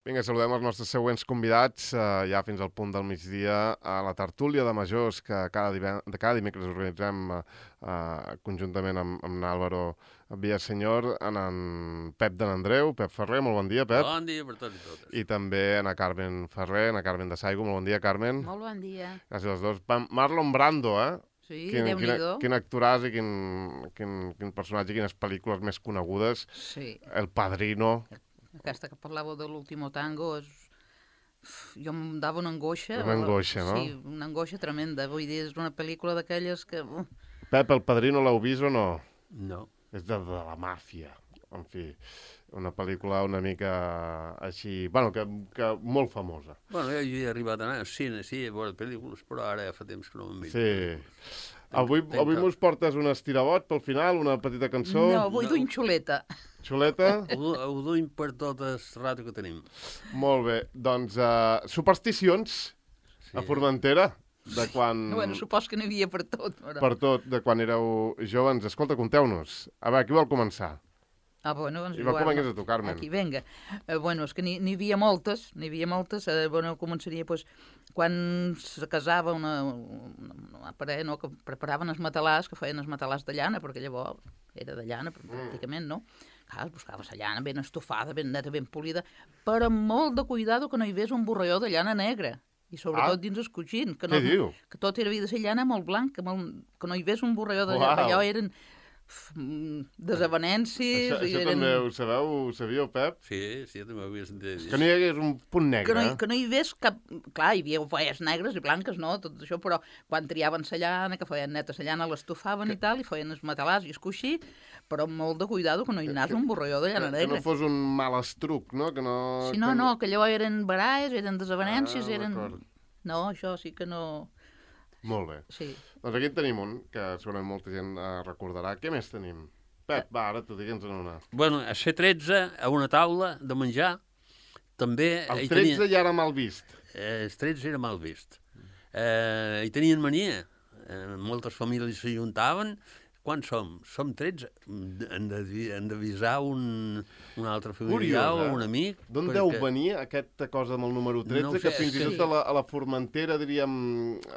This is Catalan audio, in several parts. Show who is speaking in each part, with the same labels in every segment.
Speaker 1: Vinga, saludem els nostres següents convidats ja fins al punt del migdia a la tertúlia de majors que cada dimecres organitzem conjuntament amb Álvaro Villaseñor, en Pep de n'Andreu, Pep Ferrer, molt bon dia, Pep.
Speaker 2: Bon dia per tots i totes.
Speaker 1: I també a Carmen Ferrer, a Carmen de Saigo, molt bon dia, Carmen.
Speaker 3: Molt bon dia.
Speaker 1: Gràcies als dos. Marlon Brando,
Speaker 3: Sí,
Speaker 1: Déu-n'hi-do. Quin actoràs i quin personatge, quines pel·lícules més conegudes.
Speaker 3: Sí.
Speaker 1: El Padrino.
Speaker 3: Aquesta que parlàveu de l'Último Tango jo em dava una angoixa.
Speaker 1: Una angoixa, no?
Speaker 3: Sí, una angoixa tremenda. Vull dir, és una pel·lícula d'aquelles que...
Speaker 1: Pep, El Padrino l'heu vist o no?
Speaker 2: No.
Speaker 1: És de la màfia. En fi, una pel·lícula una mica així... Bueno, que molt famosa.
Speaker 2: Bueno, jo hi he arribat a anar al cine, sí, a veure pel·lícules, però ara ja fa temps que no m'han vist.
Speaker 1: Sí. Avui mos portes un estirabot pel final, una petita cançó?
Speaker 3: No, vull d'un xuleta.
Speaker 1: Xuleta?
Speaker 2: Ho duim per tot el rato que tenim.
Speaker 1: Molt bé. Doncs supersticions a Formentera, de quan...
Speaker 3: Bueno, supos que n'hi havia per tot. Però...
Speaker 1: Per tot, de quan éreu joves. Escolta, conteu-nos. A veure, qui vol començar?
Speaker 3: Bueno, doncs
Speaker 1: I va començar a tu, Carmen.
Speaker 3: Aquí, vinga. Bueno, és que n'hi havia moltes, bueno, començaria, doncs, quan se casava una parella, no, que preparaven els matalars, que feien els matalars de llana, perquè llavors era de llana, pràcticament, no? Clar, es buscava la llana ben estofada, ben neta, ben polida, però amb molt de cuidado que no hi hagués un borralló de llana negra. I sobretot dins el coixín.
Speaker 1: Què diu?
Speaker 3: Que tot era de ser llana molt blanc, que no hi hagués un borralló de llana. Allò eren desavenències...
Speaker 1: Això també ho sabeu, ho sabíeu, Pep?
Speaker 2: Sí, jo també ho havia sentit.
Speaker 1: Que no hi hagués un punt negre.
Speaker 3: Que no hi hagués cap... Clar, hi havia folles negres i blanques, no? Tot això, però quan triaven la llana, que feien neta la llana, l'estofaven i tal, i feien els matalars i el coixí, però amb molt de cuidado que no hi anés un borralló de llana negra.
Speaker 1: Que no fos un mal estruc, no? Que no...
Speaker 3: Sí, no, que allò eren baralles, eren desavenències, eren... No, això sí que no...
Speaker 1: Molt bé.
Speaker 3: Sí.
Speaker 1: Doncs aquí en tenim un, que segurament molta gent recordarà. Què més tenim? Pep, va, ara tu digue'ns-en una.
Speaker 2: Bueno, a C13, a una taula de menjar, també...
Speaker 1: El 13 ja era mal vist.
Speaker 2: El 13 era mal vist. Hi tenien mania. Moltes famílies s'ajuntaven. Quants som? Som 13. Hem d'avisar un altre familiar o un amic.
Speaker 1: D'on deu venir aquesta cosa amb el número 13, no sé, que fins i tot a la Formentera, diríem,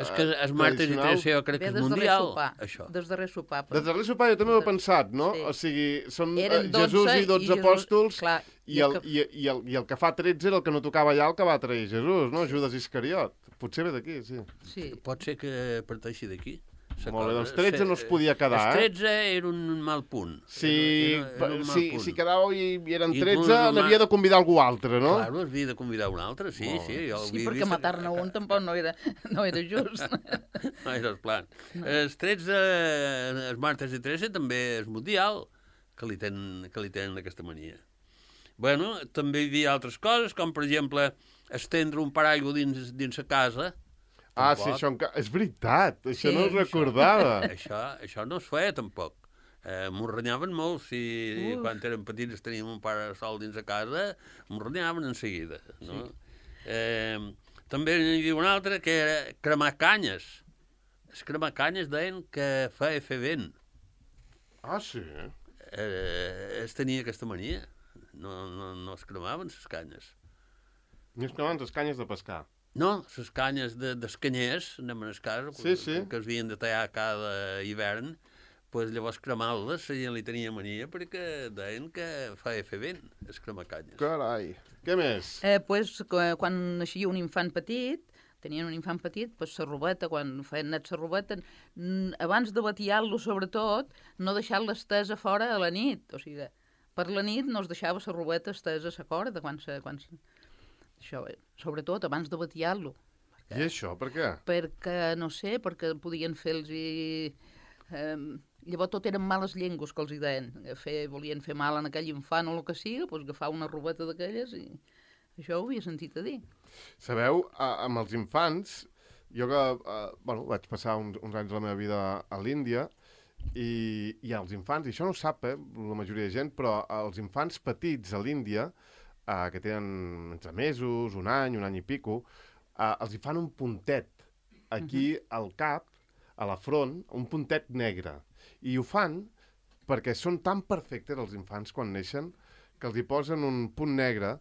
Speaker 2: és que els martes i 13 jo crec que és mundial, això.
Speaker 3: Des darrer sopar.
Speaker 1: Des darrer sopar jo també ho he pensat, no? Sí. O sigui, són Jesús i 12 apòstols,
Speaker 3: clar,
Speaker 1: i el que fa 13 era el que no tocava allà el que va trair Jesús, no? Judas Iscariot. Potser ve d'aquí, sí.
Speaker 2: Pot ser que parteixi d'aquí.
Speaker 1: Molt bé, doncs 13 no es podia quedar,
Speaker 2: El 13 era un mal punt.
Speaker 1: Si quedàveu i eren 13, n'havia de convidar algú altre, no?
Speaker 2: Clar, havia de convidar un altre, sí.
Speaker 3: Sí, perquè matar-ne un tampoc no era just.
Speaker 2: No era el plan. Els 13, els martes i 13 també és mundial, que li tenen aquesta mania. Bueno, també hi havia altres coses, com per exemple estendre un paraigua dins la casa.
Speaker 1: Sí, això és veritat, això no ho recordava.
Speaker 2: Això no es feia tampoc. M'ho renyaven molt, si quan érem petits teníem un parasol dins de casa, m'ho renyaven en seguida. No? També hi havia un altre que era cremar canyes. Els cremar canyes deien que feia fer vent.
Speaker 1: Sí?
Speaker 2: Es tenia aquesta mania. No es cremaven les canyes.
Speaker 1: Ni es cremaven les canyes de pescar.
Speaker 2: No, les canyes dels canyers, anem a les cases, que es havien de tallar cada hivern, doncs llavors cremar-les, la gent li tenia mania perquè deien que feia fer vent, es cremar canyes.
Speaker 1: Carai, què més?
Speaker 3: Quan naixia un infant petit, tenien un infant petit, doncs la robeta, quan feien net la robeta, abans de batiar-lo sobretot, no deixar-la estesa fora a la nit, o sigui, per la nit no es deixava la robeta estesa a la corda, això, sobretot abans de batiar-lo.
Speaker 1: I això, per què?
Speaker 3: Perquè, no sé, perquè podien fer-los... Llavors tot eren males llengües que els hi deien. Volien fer mal en aquell infant o el que sigui, doncs agafar una robeta d'aquelles i... Això ho havia sentit a dir.
Speaker 1: Sabeu, amb els infants, jo que vaig passar uns anys de la meva vida a l'Índia, i els infants, i això no ho sap la majoria de gent, però els infants petits a l'Índia, que tenen entre mesos, un any i pico, els hi fan un puntet aquí al cap, a la front, un puntet negre. I ho fan perquè són tan perfectes els infants quan neixen que els hi posen un punt negre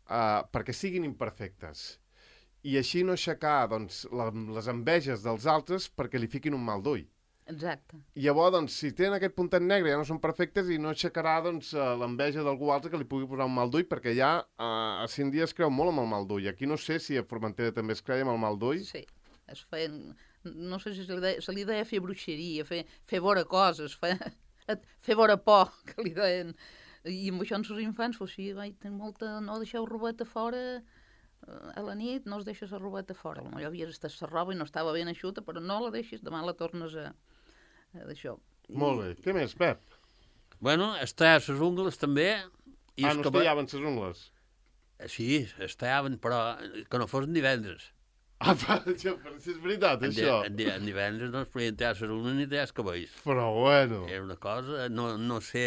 Speaker 1: perquè siguin imperfectes. I així no aixecar doncs, les enveges dels altres perquè li fiquin un mal d'ull.
Speaker 3: Exacte.
Speaker 1: I llavors, doncs, si tenen aquest puntet negre ja no són perfectes i no aixecarà doncs, l'enveja d'algú altre que li pugui posar un mal d'ull, perquè ja a Cindy es creu molt amb el mal d'ull. Aquí no sé si a Formentera també es creia amb el mal d'ull.
Speaker 3: Sí, es feien... No sé si se li deia fer bruixeria, fer vora coses, fer vora por, que li deien. I amb això en els infants, pues sí, tenir molta... No deixeu robeta fora a la nit, no es deixes la robeta fora. Potser havies estat la roba i no estava ben eixuta, però no la deixis, demà la tornes d'això.
Speaker 1: Molt bé. Què més, Pep?
Speaker 2: Bueno, es tallar les ungles també.
Speaker 1: No es tallaven les ungles?
Speaker 2: Sí, es tallaven, però que no fos divendres.
Speaker 1: Però si és veritat, això.
Speaker 2: En divendres no es podien tallar les ungles ni tallar els cabells.
Speaker 1: Però bueno.
Speaker 2: Era una cosa, no sé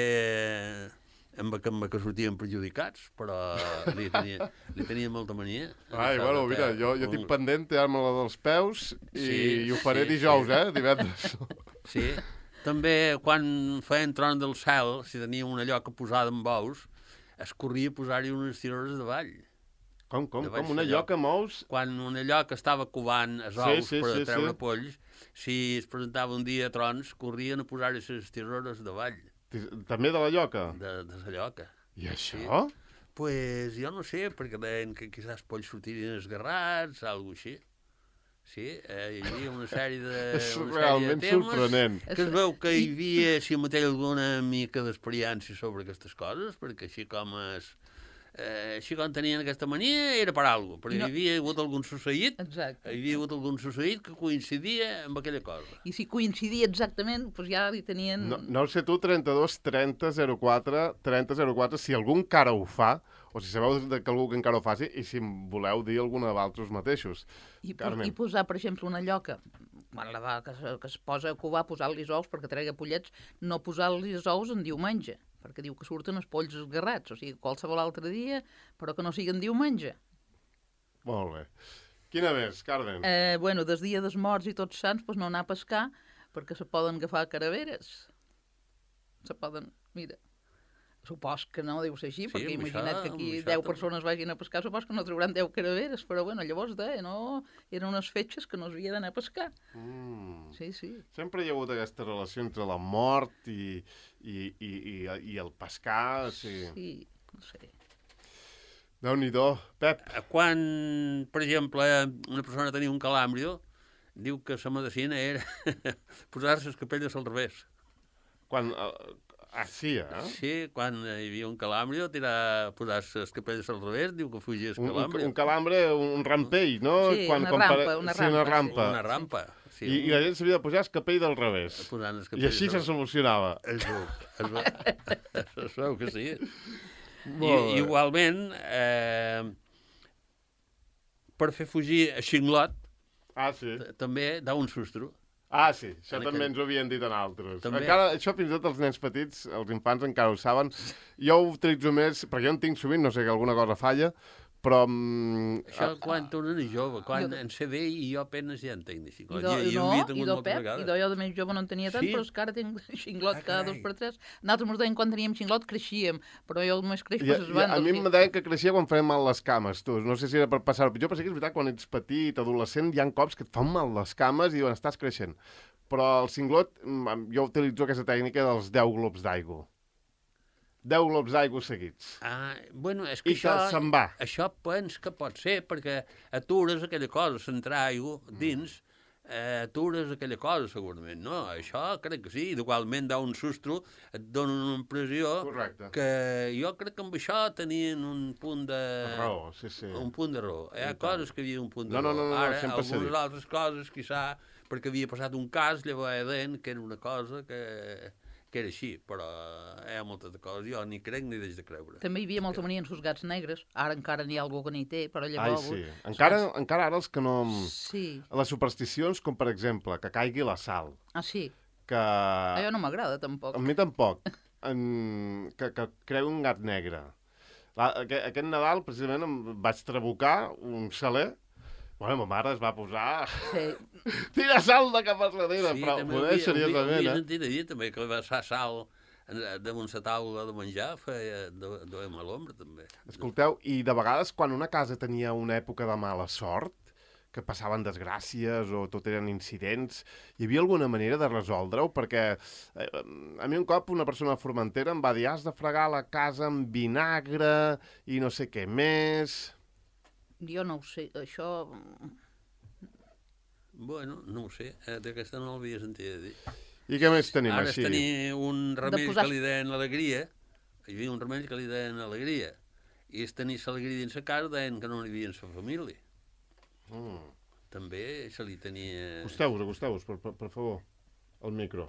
Speaker 2: amb què sortien perjudicats, però li tenia molta mania.
Speaker 1: Bueno, mira, jo tinc pendent tallar-me-la dels peus i ho faré dijous, divendres.
Speaker 2: Sí. També, quan feien tron del cel, si tenia una lloca posada amb bous, es corria a posar-hi unes tirores de ball.
Speaker 1: Com? Una lloca amb ous?
Speaker 2: Quan una lloca estava covant els ous per treure polls, si es presentava un dia a trons, corrien a posar-hi les tirores de ball.
Speaker 1: També de la lloca?
Speaker 2: De la lloca.
Speaker 1: I això?
Speaker 2: Pues jo no sé, perquè deien que quizás polls sortirien esgarrats, alguna cosa així. Sí, hi havia una sèrie de
Speaker 1: És realment sorprenent.
Speaker 2: Que es veu que hi havia, si mateix, alguna mica d'experiència sobre aquestes coses, perquè així com tenien aquesta mania era per alguna cosa, perquè hi havia hagut algun succeït, que coincidia amb aquella cosa.
Speaker 3: I si coincidia exactament, doncs ja li tenien...
Speaker 1: No sé tu, 32 30 04 30 04, si algú encara ho fa, o si sabeu que algú que encara ho faci, i si voleu dir alguna de vosaltres mateixos.
Speaker 3: I posar, per exemple, una lloca, quan la vaca que es posa a covar, posar-li ous perquè tregui pollets, no posar-li ous en diumenge, perquè diu que surten els polls esgarrats, o sigui, qualsevol altre dia, però que no siguin diumenge.
Speaker 1: Molt bé. Quina més, Carmen?
Speaker 3: Bueno, des dia dels morts i tots sants, doncs no anar a pescar, perquè se poden agafar caraveres. Se poden... Mira... Supos que no deu ser així, perquè imagina't que aquí 10 persones vagin a pescar, supos que no trauran 10 caraveres, però bueno, llavors no? Eren unes fetges que no s'havia d'anar a pescar. Sí.
Speaker 1: Sempre hi ha hagut aquesta relació entre la mort i el pescar.
Speaker 3: Sí, no sé.
Speaker 1: Déu-n'hi-do. Pep.
Speaker 2: Quan, per exemple, una persona tenia un calàmbrio, diu que la medicina era posar-se les capelles al revés.
Speaker 1: Quan... sí,
Speaker 2: Sí, quan hi havia un calàmbrio, posar les capelles al revés, diu que fugia el calàmbrio.
Speaker 1: Un calambre, un rampell, no?
Speaker 3: Sí, una rampa.
Speaker 2: Una rampa. Sí.
Speaker 1: I la gent s'havia de posar el capell del revés. I així se solucionava.
Speaker 2: Es veu que sí. Igualment, per fer fugir a Xinglot, també dà un sustro.
Speaker 1: Sí, això també ens ho havien dit en altres. Encara, això fins i tot els nens petits, els infants encara ho saben. Jo ho utilitzo més, perquè jo en tinc sovint, no sé que alguna cosa falla, però...
Speaker 2: Això quan tu no eres jove, quan en sé bé i jo apenas ja en tinc de xinglot.
Speaker 3: I jo de més jove no en tenia tant, però és que ara tinc xinglot cada 2 per 3. Nosaltres ens deien quan teníem xinglot creixíem, però jo només creix per les bandes.
Speaker 1: A mi em deien que creixia quan feien mal les cames, tu. No sé si era per passar-ho pitjor, però sí que és veritat, quan ets petit, adolescent, hi ha cops que et fan mal les cames i diuen, estàs creixent. Però el cinglot, jo utilitzo aquesta tècnica dels 10 globs d'aigua. 10 globs d'aigua seguits.
Speaker 2: Bueno, és que
Speaker 1: se'n va.
Speaker 2: Això pens que pot ser, perquè atures aquella cosa, centrar aigua dins, atures aquella cosa, segurament, no? Això crec que sí, igualment dà un sustro, et dona una impressió que jo crec que amb això tenien un punt de...
Speaker 1: raó, sí.
Speaker 2: Un punt de raó. Hi ha coses que hi havia un punt de raó.
Speaker 1: No,
Speaker 2: ara, algunes altres coses, quizà, perquè havia passat un cas, llavors deien que era una cosa que era així, però hi ha moltes coses, jo ni crec ni deix de creure.
Speaker 3: També hi havia molta mania en els gats negres, ara encara n'hi ha algú que n'hi té, però llavors...
Speaker 1: Sí, encara ara els que no... Sí. Les supersticions, com per exemple, que caigui la sal.
Speaker 3: Sí.
Speaker 1: Que...
Speaker 3: Allò no m'agrada, tampoc.
Speaker 1: A mi tampoc. Que creu un gat negre. Aquest Nadal, precisament, em vaig trabucar un saler. Bueno, ma mare es va posar... Tira sal de cap a darrere, però poder seriosament,
Speaker 2: Ho havia sentit a dir també, que va passar sal damunt la taula de menjar duem a l'ombra, també.
Speaker 1: Escolteu, i de vegades quan una casa tenia una època de mala sort, que passaven desgràcies o tot eren incidents, hi havia alguna manera de resoldre-ho? Perquè a mi un cop una persona de Formentera em va dir has de fregar la casa amb vinagre i no sé què més...
Speaker 3: Jo no ho sé, això...
Speaker 2: Bueno, no ho sé, d'aquesta no l'havia sentit a dir.
Speaker 1: I què més tenim
Speaker 2: Ara
Speaker 1: així?
Speaker 2: tenia un remei que li deien alegria, hi havia un remei que li deien alegria, i és tenir l'alegria dins la casa deien que no n'hi havia en la família. També se li tenia...
Speaker 1: Acosteu-vos, per favor, al micro.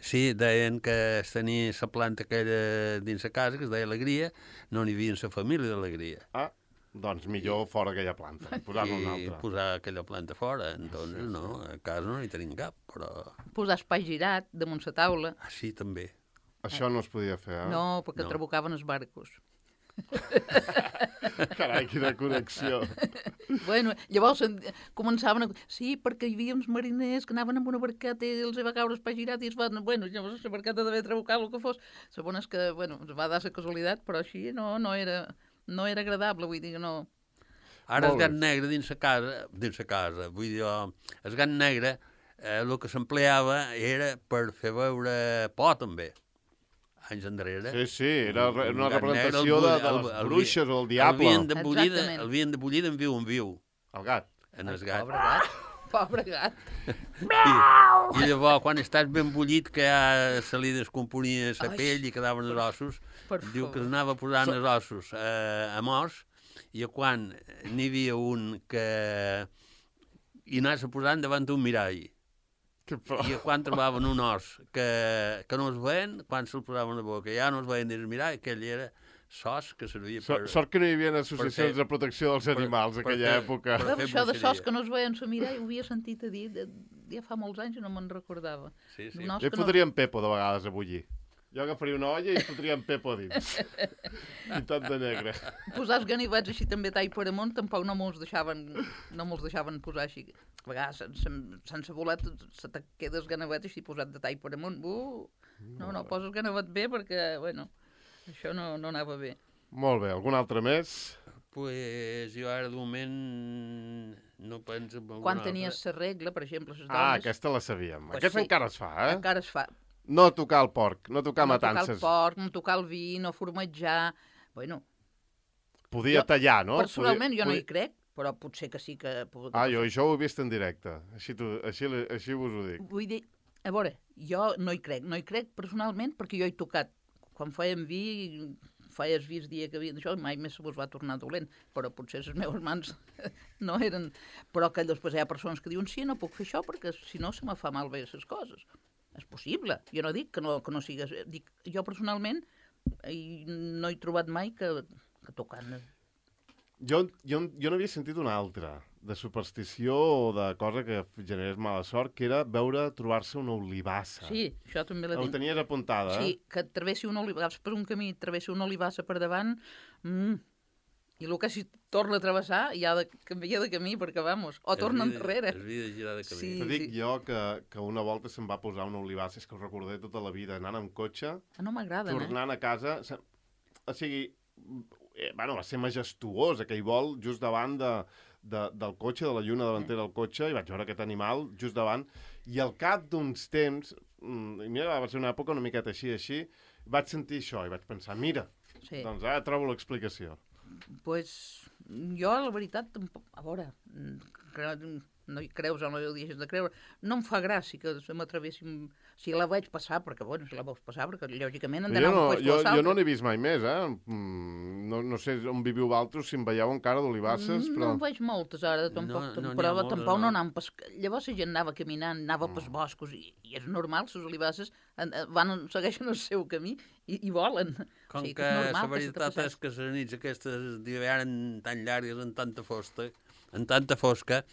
Speaker 2: Sí, deien que es tenia la planta aquella dins la casa, que es deia alegria, no n'hi havia en la família d'alegria.
Speaker 1: Ah, doncs millor fora aquella planta, posar-ne una
Speaker 2: I
Speaker 1: altra.
Speaker 2: posar aquella planta fora, entonces no, a casa no n'hi tenim cap, però...
Speaker 3: Posar espai girat damunt la taula.
Speaker 2: Ah, sí, també.
Speaker 1: Això no es podia fer, eh?
Speaker 3: No, perquè
Speaker 2: No.
Speaker 3: trabucaven els barcos.
Speaker 1: Carai, quina connexió.
Speaker 3: Bueno, llavors començaven a... Sí, perquè hi havia uns mariners que anaven amb una barqueta i els va caure espai girat i es van... Bueno, llavors la barqueta devia trabucar el que fos. Segons que, bueno, es va dar la casualitat, però així no era agradable, vull dir que no...
Speaker 2: Ara el
Speaker 1: Molt bé.
Speaker 2: gat negre dins la casa, vull dir, el gat negre, el que s'empleava era per fer veure por, també. Anys enrere.
Speaker 1: Sí, era una
Speaker 2: Un gat negre,
Speaker 1: representació de les bruixes o el diable.
Speaker 3: Exactament.
Speaker 2: L'havien de bullir en viu,
Speaker 1: El gat.
Speaker 2: en el gat.
Speaker 3: Pobre gat. Pobre gat.
Speaker 2: I llavors, quan estàs ben bullit, que ja se li descomponia la
Speaker 3: Ai.
Speaker 2: pell i quedaven els ossos,
Speaker 3: Per
Speaker 2: diu que
Speaker 3: favor.
Speaker 2: anava posant els ossos a morts, i quan n'hi havia un que hi anava posant davant d'un mirall.
Speaker 1: Que por.
Speaker 2: I quan trobaven un os que no es veien, quan se'l posaven a la boca, ja no es veien dins el mirall, aquell era sos que servia per...
Speaker 1: Sort que no hi havia associacions
Speaker 2: fer-
Speaker 1: de protecció dels animals en
Speaker 2: per
Speaker 1: aquella
Speaker 2: fer-
Speaker 1: època.
Speaker 2: per-
Speaker 3: Però
Speaker 2: fer
Speaker 3: això de
Speaker 2: bruixeria.
Speaker 3: sos que no es veien a mirar, ho havia sentit a dir ja fa molts anys i no me'n recordava.
Speaker 2: Sí, sí.
Speaker 3: D'un os
Speaker 1: Jo hi
Speaker 3: que no-
Speaker 1: fotria en Pepo de vegades a bullir. Jo agafaria una olla i fotria en Pepo a dins. Pintat de negre.
Speaker 3: Posar els ganivets així també tall per amunt tampoc no me'ls deixaven posar així. A vegades sense voler se te queda el ganivet així posat de tall per amunt. No, posa el ganivet bé perquè, bueno, això no anava bé.
Speaker 1: Molt bé, algun altre més?
Speaker 2: Pues jo ara de moment no penso en alguna
Speaker 3: Quan
Speaker 2: altra.
Speaker 3: tenies la regla, per exemple, les dones...
Speaker 1: Ah, aquesta la sabíem.
Speaker 3: Pues
Speaker 1: Aquesta
Speaker 3: sí.
Speaker 1: encara es fa, eh?
Speaker 3: Encara es fa.
Speaker 1: No tocar el porc, no tocar
Speaker 3: No tocar
Speaker 1: matances.
Speaker 3: el porc, no tocar el vi, no formatjar... Bueno,
Speaker 1: Podia
Speaker 3: Jo,
Speaker 1: tallar, no?
Speaker 3: personalment jo no hi
Speaker 1: Podia-
Speaker 3: crec, però potser que sí que...
Speaker 1: Ah, jo això ho he vist en directe. Així vos ho dic.
Speaker 3: Vull dir, a veure, jo no hi crec. No hi crec personalment perquè jo he tocat. Quan fèiem vi, feies vi el dia que havia d'això, mai més se vos va tornar dolent. Però potser les meves mans no eren... Però que després hi ha persones que diuen sí, no puc fer això perquè si no se me fa malbé les coses. És possible. Jo no dic que no sigues... Dic, jo personalment no he trobat mai que tocant...
Speaker 1: Jo no havia sentit una altra, de superstició o de cosa que generés mala sort, que era trobar-se una olivassa.
Speaker 3: Sí, això també la
Speaker 1: Ho
Speaker 3: tinc.
Speaker 1: tenies apuntada, eh?
Speaker 3: Sí, que travessi una olivassa per un camí, travessi una olivassa per davant, i el que si torna a travessar ja ha de canviar de camí perquè, vamos, o torna enrere.
Speaker 2: Es havia de girar de camí.
Speaker 3: Sí.
Speaker 1: Te dic jo que una volta se'm va posar una olivassa, és que ho recordaré tota la vida, anant amb cotxe,
Speaker 3: No m'agraden,
Speaker 1: tornant a casa... O sigui, bueno, va ser majestuós aquell vol just davant del cotxe, de la lluna davantera del cotxe, i vaig veure aquest animal just davant, i al cap d'uns temps, i mira, va ser una època una miqueta així, vaig sentir això i vaig pensar, mira,
Speaker 3: Sí.
Speaker 1: doncs ara trobo l'explicació.
Speaker 3: Pues, jo, la veritat, tampoc... A veure, no hi creus o no hi deixes de creure. No em fa gràcia que se m'atravessin... Si la veig passar, perquè, bueno, si la veus passar, perquè lògicament han d'anar un puesto
Speaker 1: Jo
Speaker 3: a l'altre.
Speaker 1: no n'he vist mai més, eh? No sé on viviu vosaltres, si em veieu encara d'olivasses, però...
Speaker 3: No en veig moltes ara, tampoc,
Speaker 2: No n'hi ha
Speaker 3: però
Speaker 2: moltes,
Speaker 3: tampoc no
Speaker 2: no.
Speaker 3: anàvem pescar. Llavors la gent anava caminant, anava pels boscos, i és normal, les olivasses segueixen el seu camí i volen.
Speaker 2: Com
Speaker 3: O sigui
Speaker 2: que
Speaker 3: és
Speaker 2: la
Speaker 3: normal se
Speaker 2: veritat
Speaker 3: t'apassés.
Speaker 2: és que les nits aquestes d'hivern tan llargues, en tanta fosca,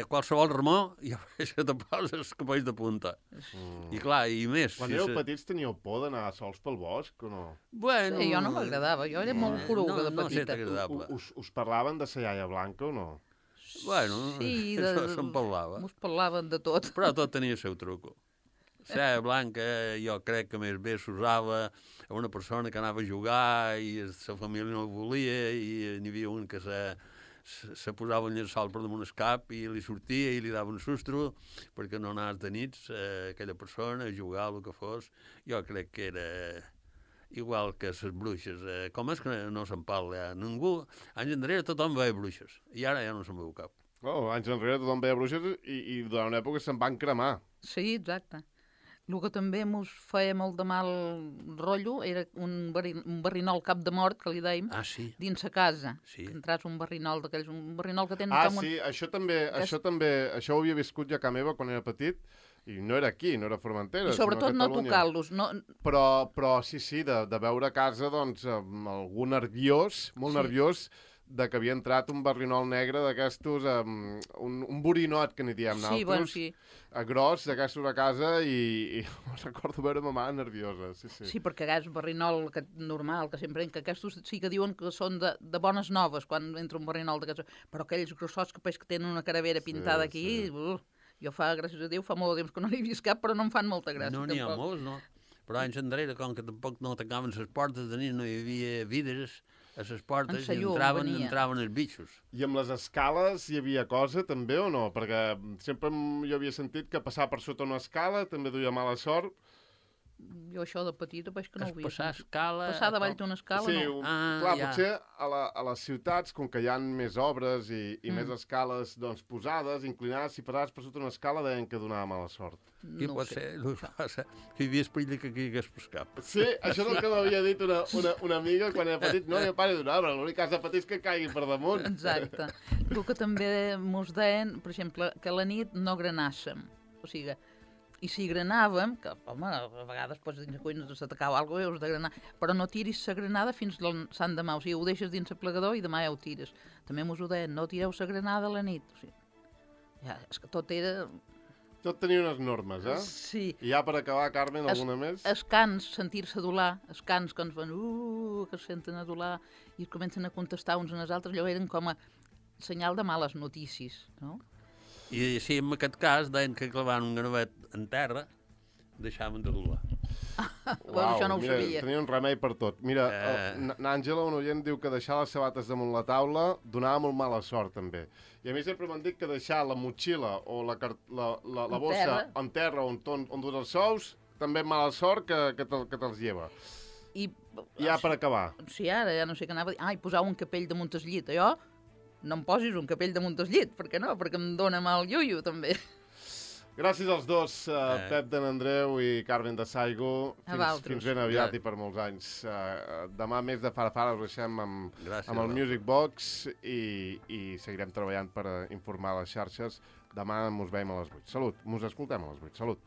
Speaker 2: qualsevol remor ja que te poses capells de punta. I clar, i més...
Speaker 1: Quan éreu petits teníeu por d'anar sols pel bosc o no?
Speaker 2: Bueno,
Speaker 3: Sí, jo no m'agradava, jo era molt poruga de
Speaker 2: No sé,
Speaker 3: petita.
Speaker 2: t'agradava.
Speaker 1: Us parlaven de sa iaia blanca o no?
Speaker 2: Bueno,
Speaker 3: Sí,
Speaker 2: això se'n parlava.
Speaker 3: Mos parlaven de tot.
Speaker 2: Però tot tenia el seu truco. Cera blanca jo crec que més bé s'usava a una persona que anava a jugar i la família no ho volia i n'hi havia un que se posava un llençol per damunt el cap i li sortia i li dava un sustro perquè no anés de nits aquella persona a jugar o el que fos. Jo crec que era igual que les bruixes. Com és que no se'n parla? Ningú... Anys enrere tothom veia bruixes i ara ja no se'n veu cap.
Speaker 1: Oh, anys enrere tothom veia bruixes i durant una època se'n van cremar.
Speaker 3: Sí, exacte. El que també mos feia molt de mal rotllo era un barrinol cap de mort, que li dèiem,
Speaker 2: Sí.
Speaker 3: dins sa casa.
Speaker 2: Sí.
Speaker 3: Que entràs un barrinol d'aquells, un barrinol que tenen com
Speaker 1: Sí, això ho havia viscut ja a casa meva quan era petit, i no era aquí, no era a Formentera,
Speaker 3: I sobretot
Speaker 1: sinó a
Speaker 3: no
Speaker 1: Catalunya.
Speaker 3: tocar-los. No...
Speaker 1: Però sí, de veure a casa, doncs, amb algú nerviós, molt nerviós, de que havia entrat un barrinol negre d'aquestos, un borinot, que n'hi diem
Speaker 3: Sí,
Speaker 1: nosaltres,
Speaker 3: bueno, sí.
Speaker 1: gros, d'aquestos a casa, i recordo veure ma mare nerviosa, sí.
Speaker 3: Sí, perquè és barrinol normal, que sempre... Que aquests sí que diuen que són de bones noves, quan entra un barrinol d'aquests... Però aquells grossots que peix que tenen una caravera pintada aquí...
Speaker 1: Sí.
Speaker 3: Jo gràcies a Déu, fa molt de temps que no n'he vist cap, però no em fan molta gràcia.
Speaker 2: No n'hi ha molts, no? Però anys enrere, com que tampoc no tancaven les portes de nit, no hi havia vidres a les portes i entraven els bichos.
Speaker 1: I amb les escales hi havia cosa, també, o no? Perquè sempre jo havia sentit que passar per sota una escala també duia mala sort.
Speaker 3: Jo això de petita, veig que no ho havia
Speaker 2: Passar
Speaker 3: sentit.
Speaker 2: escala...
Speaker 3: Passar davall d'una escala,
Speaker 1: Sí,
Speaker 3: no.
Speaker 1: clar,
Speaker 2: ja.
Speaker 1: potser a les ciutats, com que hi ha més obres i més escales doncs, posades, inclinades, si passaves per sota una escala deien que donava mala sort.
Speaker 2: I
Speaker 3: No ho
Speaker 2: pot
Speaker 3: sé.
Speaker 2: ser, que hi havia perill que caigués per cap.
Speaker 1: Sí, això és el que m'havia dit una amiga quan era petit. No, jo pare d'una obra, l'únic que has de patir és que caigui per damunt.
Speaker 3: Exacte. El que també mos deien, per exemple, que a la nit no granàssim. O sigui, i si granàvem, que, home, a vegades pots dins la cuina s'atacava alguna cosa, de granar, però no tiris la granada fins al sant demà. O sigui, ho deixes dins el plegador i demà ja ho tires. També mos ho deien, no tireu la granada a la nit. O sigui, ja, és que tot era...
Speaker 1: Tot tenia unes normes, eh?
Speaker 3: Sí.
Speaker 1: I ja per acabar, Carmen, alguna més?
Speaker 3: Els cans, sentir-se adular, els cans que ens van, que es senten adular i comencen a contestar uns als altres, allò eren com a senyal de males notícies, no?
Speaker 2: I si en aquest cas deien que clavaven un gravet en terra, deixaven de dolar.
Speaker 3: Bueno, això no ho
Speaker 1: mira,
Speaker 3: sabia.
Speaker 1: tenia un remei per tot. Mira, n'Àngela, un oient, diu que deixar les sabates damunt la taula donava molt mala sort, també. I a mi sempre m'han dit que deixar la motxilla o la bossa en terra on dus els sous, també mala sort que te'ls lleva.
Speaker 3: I
Speaker 1: Ja per acabar.
Speaker 3: sí, ara ja no sé què anava a dir. I posar un capell damunt el llit. Jo no em posis un capell damunt el llit. Per què no? Perquè em dóna mal iuiu, també.
Speaker 1: Gràcies als dos, Pep de Nandreu i Carmen de Saigo. Fins ben aviat i per molts anys. Demà, més de Farafara, us deixem amb el Music Box i seguirem treballant per informar les xarxes. Demà mos veiem a les 8. Salut, mos escoltem a les 8. Salut.